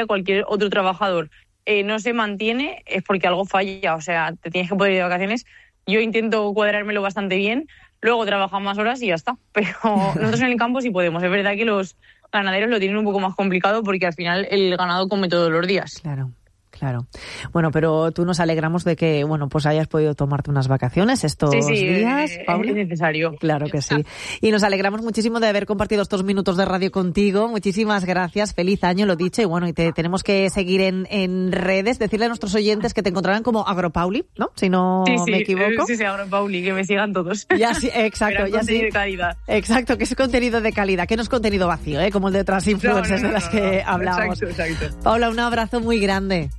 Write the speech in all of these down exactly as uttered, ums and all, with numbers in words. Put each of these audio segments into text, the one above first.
cualquier otro trabajador eh, no se mantiene, es porque algo falla, o sea, te tienes que poder ir de vacaciones. Yo intento cuadrármelo bastante bien, luego trabajo más horas y ya está. Pero nosotros en el campo sí podemos. Es verdad que los ganaderos lo tienen un poco más complicado porque al final el ganado come todos los días. Claro. Claro. Bueno, pero tú nos alegramos de que, bueno, pues hayas podido tomarte unas vacaciones estos sí, sí, días, eh, Paula. Es necesario. Claro que sí. Y nos alegramos muchísimo de haber compartido estos minutos de radio contigo. Muchísimas gracias. Feliz año, lo dicho. Y bueno, y te tenemos que seguir en, en redes, decirle a nuestros oyentes que te encontrarán como Agropauli, ¿no? Si no sí, sí, me equivoco. Sí, sí, Agropauli, que me sigan todos. Ya sí, exacto. Ya contenido sí. de calidad. Exacto, que es contenido de calidad, que no es contenido vacío, ¿eh? Como el de otras influencers no, no, no, de las no, que no. hablamos. Exacto, exacto. Paula, un abrazo muy grande.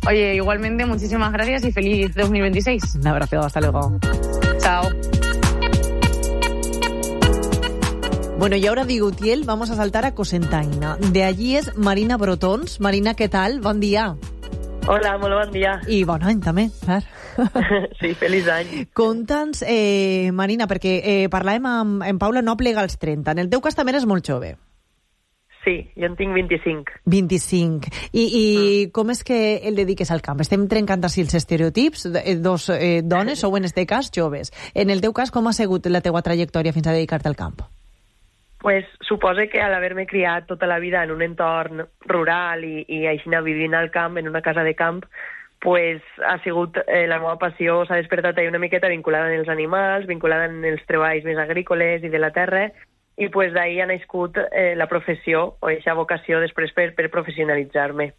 Oye, igualmente, muchísimas gracias y feliz dos mil veintiséis. Un abrazo, hasta luego. Chao. Bueno, y ahora de Utiel vamos a saltar a Cocentaina. De allí es Marina Brotons. Marina, què tal? Bon dia. Hola, molt bon dia. I bon any, també, clar. Sí, feliç any. Conta'ns, eh, Marina, perquè eh, parlàvem amb en Paula, no plega als trenta. En el teu cas també eres molt jove. Sí, jo en tinc vint-i-cinc. vint-i-cinc. I, i mm. com és que el dediques al camp? Estem trencant així els estereotips, dos eh, dones, o en este cas joves. En el teu cas, com ha sigut la teua trajectòria fins a dedicar-te al camp? Pues supose que al haver-me criat tota la vida en un entorn rural i, i així anar vivint al camp, en una casa de camp, pues ha sigut eh, la meva passió, s'ha despertat ahí una miqueta vinculada en els animals, vinculada en els treballs més agrícoles i de la terra, i pues d'ahí ha nascut eh, la professió o aquesta vocació després per, per professionalitzar-me.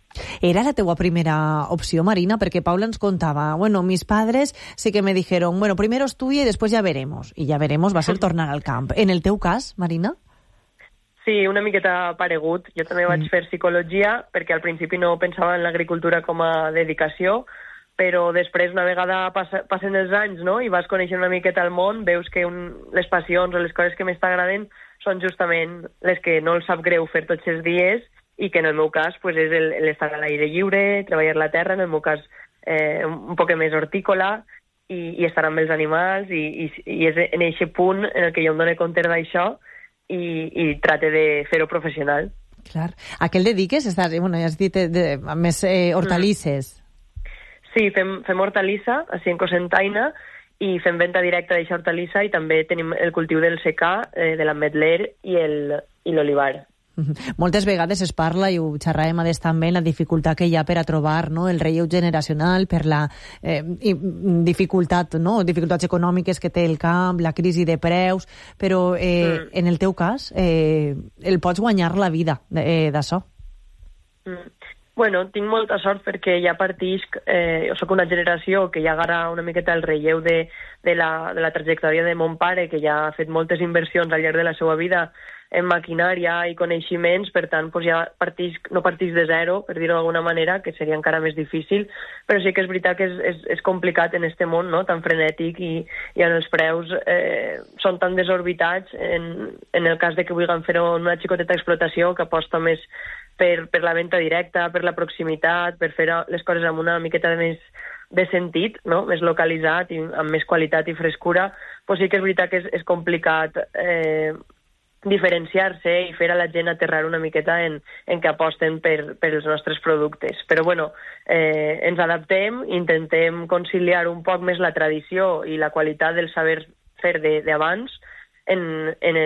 Era la teua primera opció, Marina? Perquè Paula ens contava, bueno, mis padres sí que me dijeron, bueno, primero estudia y después ya veremos. Y ya veremos va a ser tornar al camp. En el teu cas, Marina? Sí, una miqueta paregut. Jo també vaig fer psicologia perquè al principi no pensava en l'agricultura com a dedicació, però després, una vegada passa, passen els anys, no?, i vas conèixer una miqueta el món, veus que un, les passions o les coses que més t'agraden són justament les que no els sap greu fer tots els dies i que en el meu cas pues, és el, l'estar a l'aire lliure, treballar la terra, en el meu cas eh, un poc més hortícola i, i estar amb els animals i, i, i és en aquest punt en el que jo em dono compte d'això i, i trate de fer-ho professional. Clar. A què el dediques? Estàs, bueno, ja has dit de, de, a més eh, hortalisses. Mm. Sí, fem, fem hortalissa, així en Cocentaina, i fem venda directa d'eixa hortalissa i també tenim el cultiu del secà, eh, de l'ametler i l'olivar. Mm-hmm. Moltes vegades es parla, i ho xerràvem a des també, la dificultat que hi ha per a trobar, no?, el relleu generacional, per la eh, dificultat, no?, dificultats econòmiques que té el camp, la crisi de preus, però eh, mm. en el teu cas eh, el pots guanyar la vida eh, d'això. Mm. Bueno, tinc molta sort perquè ja partisc, eh, soc una generació que ja agarra una miqueta el relleu de, de, la, de la trajectòria de mon pare, que ja ha fet moltes inversions al llarg de la seva vida en maquinària i coneixements, per tant, pues ja partisc, no partisc de zero, per dir-ho d'alguna manera, que seria encara més difícil, però sí que és veritat que és, és, és complicat en este món, no?, tan frenètic i, i on els preus eh, són tan desorbitats, en, en el cas de que vulguin fer-ho en una xicoteta explotació que aposta més per, per la venda directa, per la proximitat, per fer les coses amb una miqueta de més de sentit, no?, més localitzat i amb més qualitat i frescura, pues sí que és veritat que és, és complicat eh, diferenciar-se i fer a la gent aterrar una miqueta en, en què aposten per, per els nostres productes. Però bueno, eh, ens adaptem, intentem conciliar un poc més la tradició i la qualitat del saber fer d'abans en, en,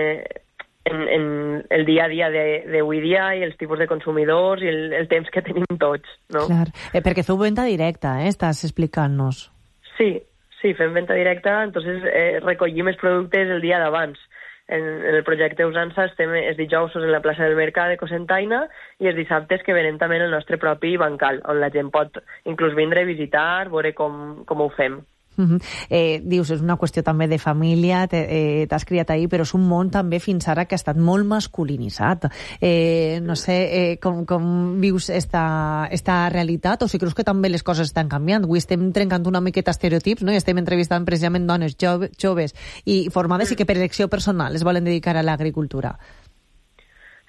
en, en el dia a dia d'avui dia i els tipus de consumidors i el, el temps que tenim tots, no? Clar, eh, perquè feu venda directa, eh? Estàs explicant-nos. Sí, sí, fem venda directa, entonces eh, recollim els productes el dia d'abans. En, en el projecte Usança estem els dijous en la plaça del Mercat de Cocentaina i els dissabtes que venem també en el nostre propi bancal, on la gent pot inclús vindre a visitar, veure com, com ho fem. Uh-huh. Eh, dius, és una qüestió també de família, t'has eh, criat ahir, però és un món també fins ara que ha estat molt masculinitzat. Eh, no sé eh, com, com vius esta, esta realitat, o si creus que també les coses estan canviant. Avui estem trencant una miqueta estereotips, no?, i estem entrevistant precisament dones jove, joves i formades i que per elecció personal es volen dedicar a l'agricultura.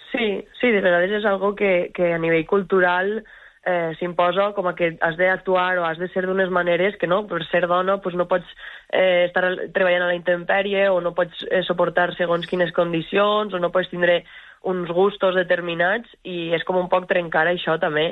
Sí, sí, de vegades és algo que, que a nivell cultural Eh, s'imposa com a que has d'actuar o has de ser d'unes maneres que no, per ser dona pues no pots eh, estar treballant a la intempèrie o no pots eh, suportar segons quines condicions o no pots tindre uns gustos determinats i és com un poc trencar això també.